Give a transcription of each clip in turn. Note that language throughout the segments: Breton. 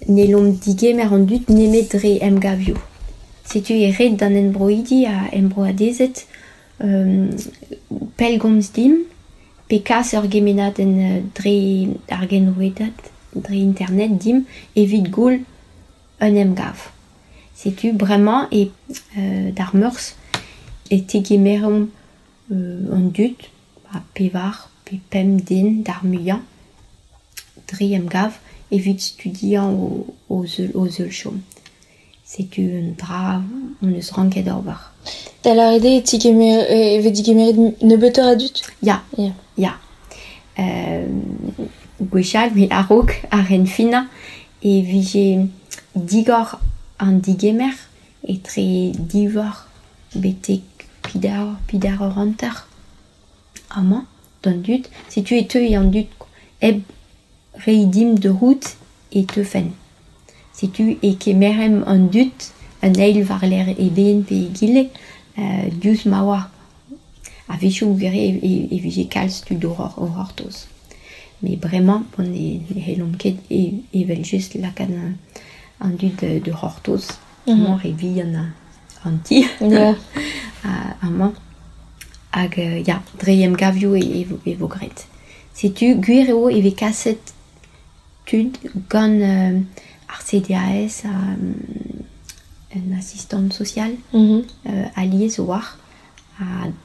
N'hellomp digemer an dud nemet dre emgavioù. Setu eo ret d'an enbroidi ha enbroadezed pellgomz dimp pe kas ur gemennadenn dre ar genrouedad, dre internet dimp evit goul un emgav. Setu bremañ e d'ar Meurzh e tegemeromp an dud, ha pevar pe pemp den d'ar muiañ dre emgav evit studiañ o zeul-chom. Setu un dra hon eus ranket ober. Da lâret eo e tigemer e vez digemeret nebeutoc'h a dud? Ya, ya. Gwechall, met a-raok ar c'henfinañ e vije digor an digemer etre div eur betek peder eur hanter amañ d'an dud. Setu e teuy an dud hep reiñ dimp da c'hoût e teufen. Setu e kemeremp an dud an eil war-lerc'h eben pe egile diouzh ma oa. A-wechoù e vije kalz tud o c'hortoz. Met bremañ ne c'hellomp ket evel-just lakaat an dud da c'hortoz. Amañ re vihan an ti. Amañ. Hag ya, dre emgavioù e vo graet. Setu gwir eo e vez kaset tud gant ar CDAS ha un asistant social alies a-walc'h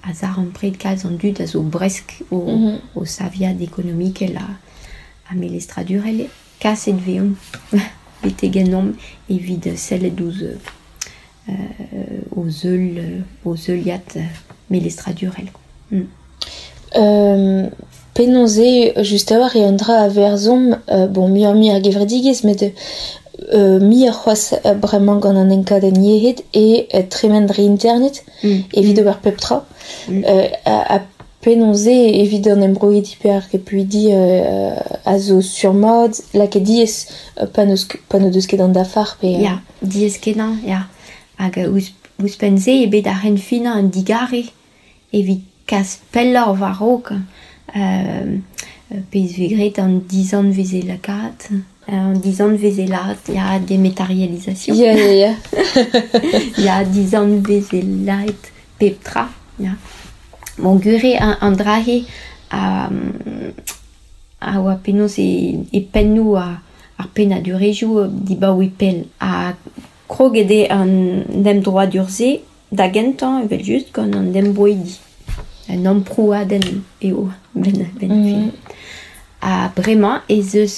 a zarempred kalz an dud a zo bresk o saviad ekonomikel ha melestradurel. Kaset 'vezont betek ennomp evit sellet ouzh o zeul, o zeuliad melestradurel. Penaos eo just a-walc'h eo un dra a verzhomp, bon muioc'h-mui ar gevredigezh met muioc'h c'hoazh bremañ gant an enkadenn yec'hed eo tremen dre internet evit ober pep tra. Ha penaos eo evit an embroidi pe ar repuidi a zo sur-mat lakaet diaes pa n'o deus ket an dafar pe... Ya, diaes-kenañ, ya. Hag ouzhpenn-se eo bet ar c'henfinañ un digarez evit kas pelloc'h war-raok pezh 'vez graet an dizanvezelekaat, an dizanvezelaat, ya, dématérialisation. Ya, ya, ya. Ya, dizanvezelaet pep tra, ya. Bon, gwir eo an dra-se a oa penaos e pennoù ar pennadurezhioù dibaoe pell ha kroget eo an emdroadur-se da gentañ evel-just gant an embroidi. Un amprouadenn eo benn ar fin. Ha bremañ ez eus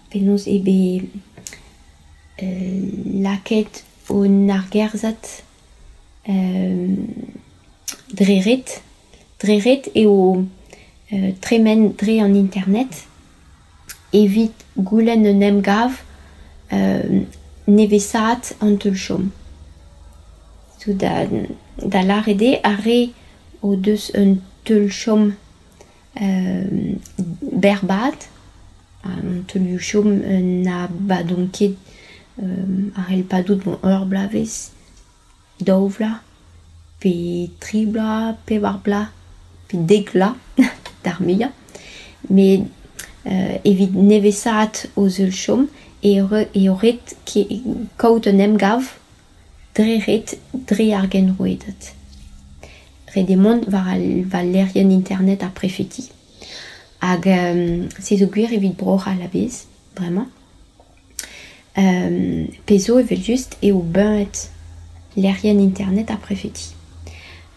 penaos eo bet lakaet un argerzhad dre ret. Dre ret eo tremen dre an internet evit goulenn un emgav nevesaat an teul-chom. Da lâret eo ar re o deus un teul-chom berrbad, an teulioù-chom na badont ket a c'hell padout ur bloavezh, daou vloaz, pe tri bloaz, pevar bloaz, pe dek vloaz d'ar muiañ. Met evit nevesaat o zeul-chom eo ret kaout un emgav dre ret dre ar genrouedad. Ret eo mont war al lec'hienn internet ar prefeti. Hag se zo gwir evit Bro-C'hall a-bezh bremañ. Pezh zo evel-just eo buñvet lec'hienn internet ar prefeti.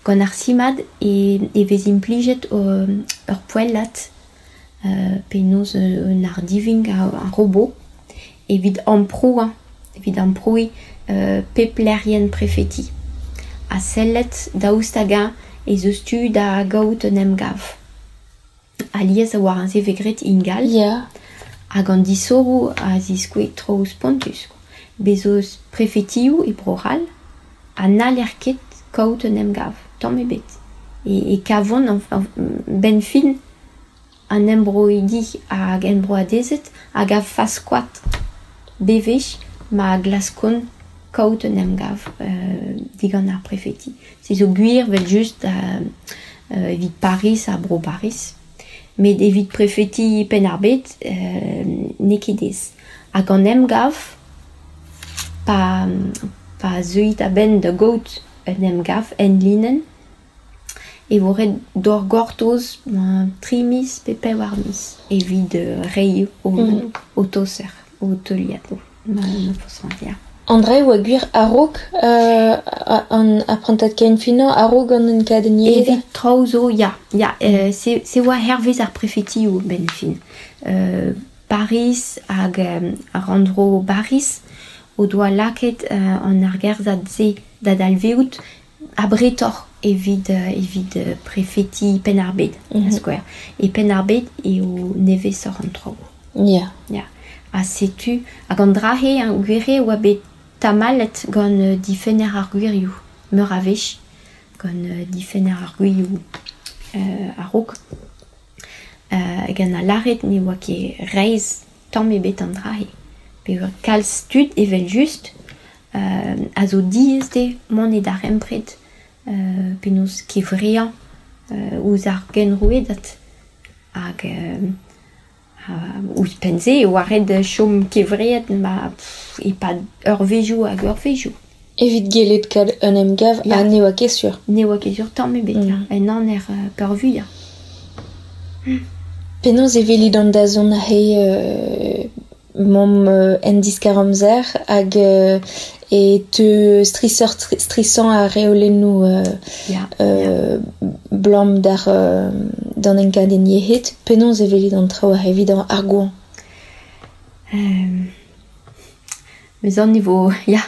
Gant ar simad e vez implijet ur poellad penaos un ardivink ar robot evit amprouañ, evit amprouiñ pep lec'hienn prefeti ha sellet daoust hag-eñ ez eus tu da gaout un emgav. Alies a-walc'h se 'vez graet ingal. Hag an disoc'hoù a ziskouez traoù spontus. Bez' eus prefetioù e Bro-C'hall ha n'haller ket kaout un emgav, tamm ebet. E kavont 'benn fin an embroidi hag enbroadezed a gav faskoad bewech ma glaskont kaout un emgav digant ar prefeti. Se zo gwir evel-just evit Pariz ha Bro-Bariz. Met evit prefeti Penn-ar-Bed, n'eo ket aes. Hag an emgav, pa, pa zeuit a-benn da gaout un emgav enlinenn, e vo ret d'hor gortoz 3 miz pe 4 miz evit reiñ ho toser, ho teuliadoù, ma forzh ya. An dra e oa gwir a-raok an aprantad kenfinañ, a-raok an enkadenn yezh? Evit traoù zo, ya. Ya, se, se oa hervez ar prefetioù benn fin. Pariz hag ar rannvro Bariz o doa lakaet an argerzhad-se da dalvezout abretoc'h evit, evit prefeti Penn-ar-Bed, da skouer. E Penn-ar-Bed eo nevesoc'h an traoù. Ya. Ya. Ha setu, hag an dra-se, gwir eo, oa bet tamallet gant difenner ar gwirioù meur a wech, gant difenner ar gwirioù a-raok. Gant a lâret ne oa ket reizh tamm ebet an dra-se. Peogwir kalz tud evel-just a zo diaes dezhe mont e darempred penaos kevreañ ouzh ar genrouedad. Hag ouzhpenn-se e oa ret chom kevreet ma e-pad eurvezhioù hag eurvezhioù. Evit gellet kaout un emgav ha ne oa ket sur. Ne oa ket sur tamm ebet, en aner peurvuiañ. Penaos e welit an dazont aze mamm en diskar-amzer hag e teu strishoc'h-strisañ ar reolennoù 'blam d'ar d'an enkadenn yec'hed. Penaos e welit an traoù aze evit ar goañv? Meus aon e vo, ya,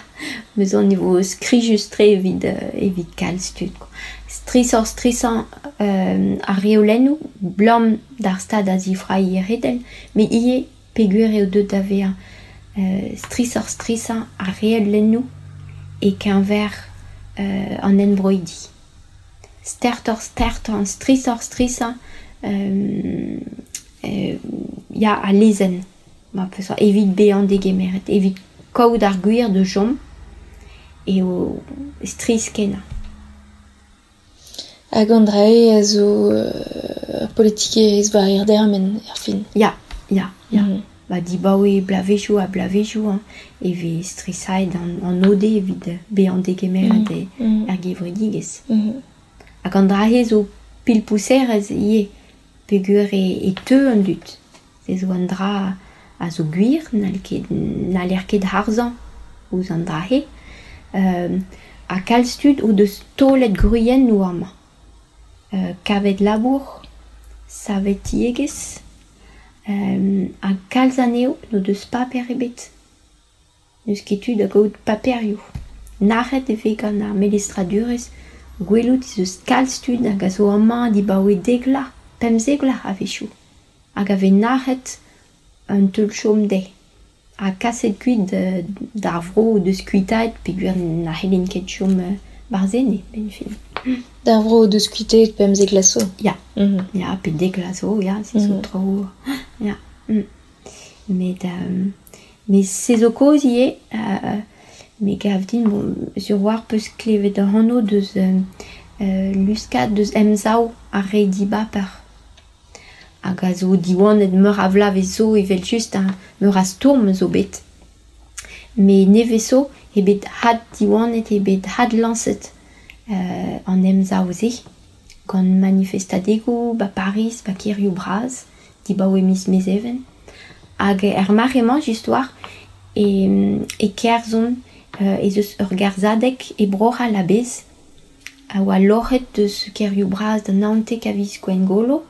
meus aon e vo skrijus-tre evit, evit kalz tud kwa. Strishoc'h-strisañ ar reolennoù 'blam d'ar stad a zifrailh yec'hedel met ivez peogwir eo deuet da vezañ strishoc'h-strisañ ar reolennoù e-keñver an enbroidi. Stertoc'h-stertañ, strishoc'h-strisañ ya al lezenn ma peus evit bezañ degemeret, evit kaout ar gwir da chom eo strizh-kenañ. Hag an dra-se a zo ur politikerezh war hir dermen erfin. Ya, ya, ya. Ba dibaoe bloavezhioù ha bloavezhioù hein, e vez strisaet an ode evit bezañ degemeret er gevredigezh. Hag an dra-se zo pilpouserezh ivez peogwir e teu an dud. Se zo un dra a zo gwir, n'haller ket harzañ ouzh an dra-se. Ha kalz tud o deus taolet gwriennoù amañ. Kavet labour, savet tiegezh, ha kalz anezho n'o deus paper ebet. N'eus ket tu da gaout paperioù. Nac'het e vez gant ar melestradurezh gwelout ez eus kalz tud hag a zo amañ dibaoe dek vloaz, 15 vloaz a-wechoù, hag a vez nac'het un teul-chom dezhe. Ha kaset kuit d'ar vro o deus kuitaet peogwir na c'hellint ket chom 'barzh enne, benn fin. D'ar vro o deus kuitaet 15 vloaz zo? Ya, ya, pe 10 vloaz zo, ya, se zo traoù, ya. Met, met se zo kaoz ivez, me gav din, bon, sur 'walc'h 'peus klevet ac'hano deus luskad deus Emsav ar re dibaper. Hag a zo diwanet meur a vloavezh zo evel-just, ha meur a stourm zo bet. Met nevez zo eo bet addiwanet, eo bet adlañset an emsav-se gant manifestadegoù 'ba Pariz, 'ba kêrioù bras, dibaoe miz Mezheven. Hag er mare-mañ just 'walc'h e kerzhont ez eus ur gerzhadeg e Bro-C'hall a-bezh a oa loc'het deus kêrioù bras da 19 a viz Gwengolo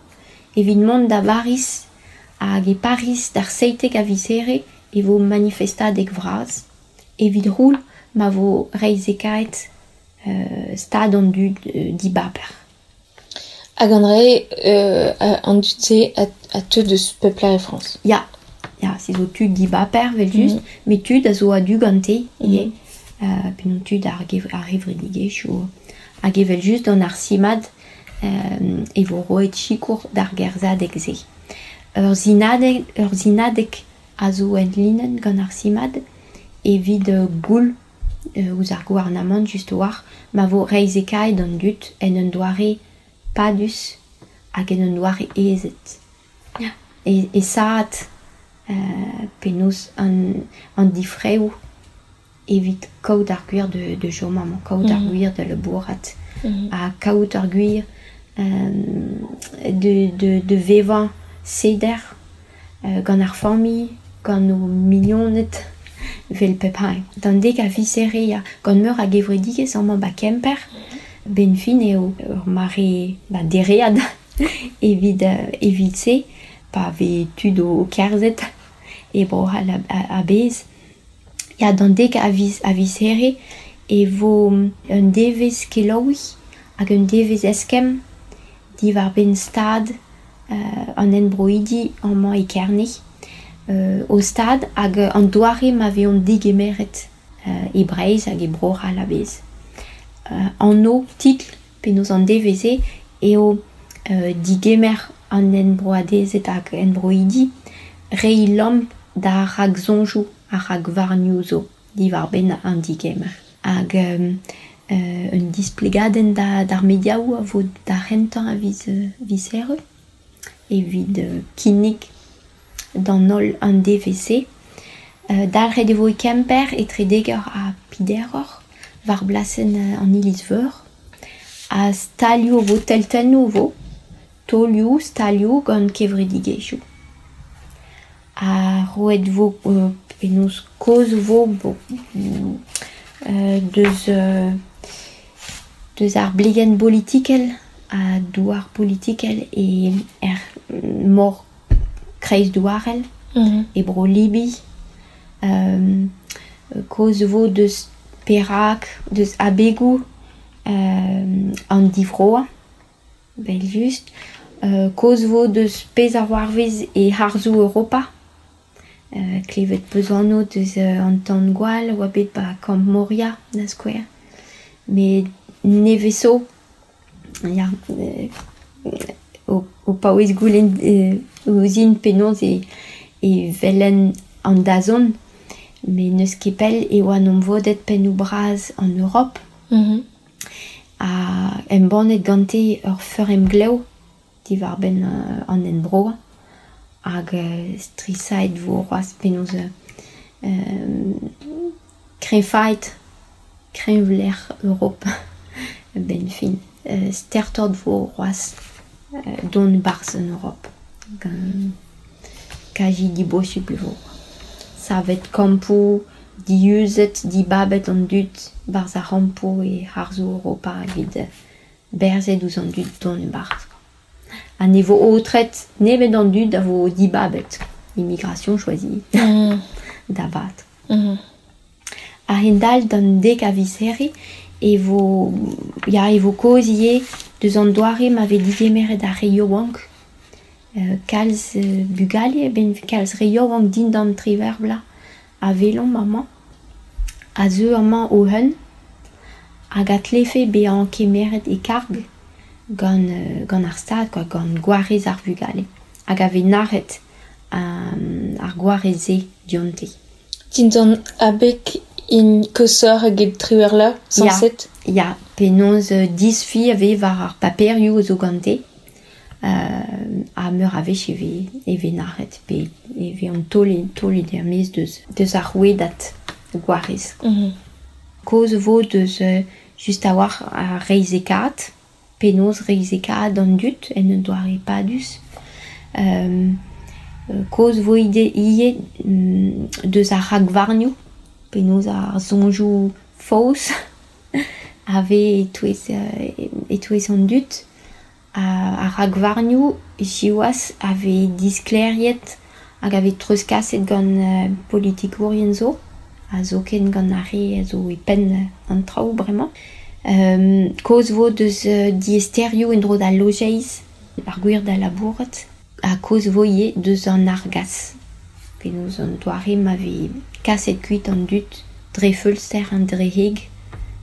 evit mont da Bariz hag e Pariz d'ar 17 a viz Here e vo manifestadeg vras evit c'houl ma vo reizhekaet stad an dud dibaper. Hag an dra-se, an dud-se a teu deus pep lec'h e Frañs? Ya, ya, se zo tud dibaper evel-just, met tud a zo a-du gante ivez, penaos tud ar gevredigezhioù. Hag evel-just gant ar simad e vo roet sikour d'ar gerzhadeg-se. Ur sinadeg a zo enlinenn gant ar simad evit goul ouzh ar gouarnamant just a-walc'h ma vo reizhekaet an dud en un doare padus hag en un doare aezet. esaat penaos an difraeoù evit kaout ar gwir de chom amañ, kaout ar gwir da labourat, ha kaout ar gwir de vevañ seder gant ar familh, gant o mignoned, vel pep hini. D'an dek a viz here, ya, gant meur a gevredigezh amañ ba Kemper, ben fin eo ur mare ba dereat evit se, pa vez tud o kerzhet e Bro-C'hall a-bezh. Ya, d'an dek a viz here e vo un devezh kelaouiñ hag un devezh eskemm diwar-benn stad an enbroidi amañ e Kerne. O stad hag an doare ma vezont degemeret e Breizh hag e Bro-C'hall a-bezh. Anv, titl, penaos an devezh-se eo digemer an enbroadezed hag enbroidi reiñ lamm da raksoñjoù ha rakvarnioù zo diwar-benn an digemer. Hag un displegadenn d'ar mediaoù a vo d'ar c'hentañ a viz here evit kinnig d'an holl an devezh-se. Dalc'het e vo e Kemper etre dek eur ha peder eur war blasenn an Iliz-Veur. Ha stalioù vo, teltennoù vo, taolioù, stalioù gant kevredigezhioù. Ha roet vo penaos kaoz vo deus ar blegenn bolitikel ha douar politikel e er mor kreizdouarel e bro Libi. Kaoz vo deus perak, deus abegoù an divroañ, evel-just. Kaoz vo deus pezh a c'hoarvez e harzoù Europa. Klevet peus anv deus an tan-gwall a oa bet ba kamp Moria, da skouer. Met nevez zo, ya, o paouez goulenn ouzhin penaos e welen an dazont. Met n'eus ket pell e oa 'n em vodet pennoù bras an Europ. Ha embannet gante ur feur-emglev diwar-benn an enbroañ. Hag strisaet vo c'hoazh penaos kreñvaet kreñvlec'h Europa a-benn fin. Stertoc'h vo c'hoazh dont 'barzh an Europ. Gant kazi dibosupl e vo. Savet kampoù, diuzet, dibabet an dud 'barzh ar c'hampoù e harzoù Europa evit berzet ouzh an dud dont e-barzh. Ha ne vo aotret nemet an dud a vo dibabet. Immigration choisie. Da vat. A-hend-all d'an dek a viz here e vo ya e vo kaoz ivez deus an doare ma vez digemeret ar re yaouank. Kalz bugale, ben kalz re yaouank dindan triwec'h vloaz a welomp amañ, a zeu amañ o-un hag a tlefe bezañ kemeret e karg gant ar stad, quoi, gant gwarez ar vugale. Hag a vez nac'het ar gwarez-se dionte. Dindan abeg int koshoc'h eget triwec'h vloaz, sañset? Ya, penaos disfi a vez war ar paperioù zo gante. Ha meur a wech e vez nac'het pe e vez an taolet er-maez deus ar rouedad gwarez. Kaoz vo deus just a-walc'h ar reizhekaat, penaos reizhekaat an dud en un doare padus. Kaoz vo ivez deus ar rakvarnioù, penaos ar soñjoù faos a vez e-touez an dud. Ar rakvarnioù siwazh a vez disklêriet hag a vez treuzkaset gant politikourien zo, ha zoken gant ar re a zo e penn an traoù bremañ. Kaoz vo deus diaesterioù en-dro d'al lojeiz, ar gwir da labourat, ha kaoz vo ivez deus an argas. Penaos an doare ma vez kaset kuit an dud dre feulster an dre heg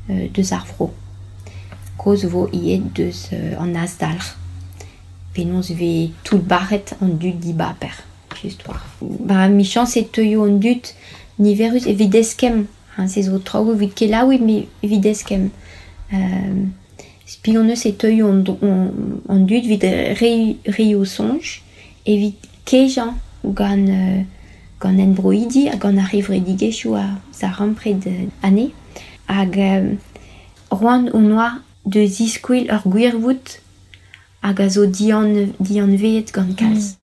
deus ar vro. Kaoz vo ivez deus an azdalc'h. Penaos vez toullbac'het an dud dibaper, just war. Ba emichañs e teuio an dud niverus evit eskemm. Se zo traoù evit kelaouiñ met evit eskemm. Spi hon eus e teuio an dud evit reiñ o soñj, evit kejañ gant gant enbroidi hag gant ar c'hevredigezhioù a zarempred anezhe. Hag c'hoant hon oa da ziskwel ur gwirvoud hag a zo dianveet gant kalz.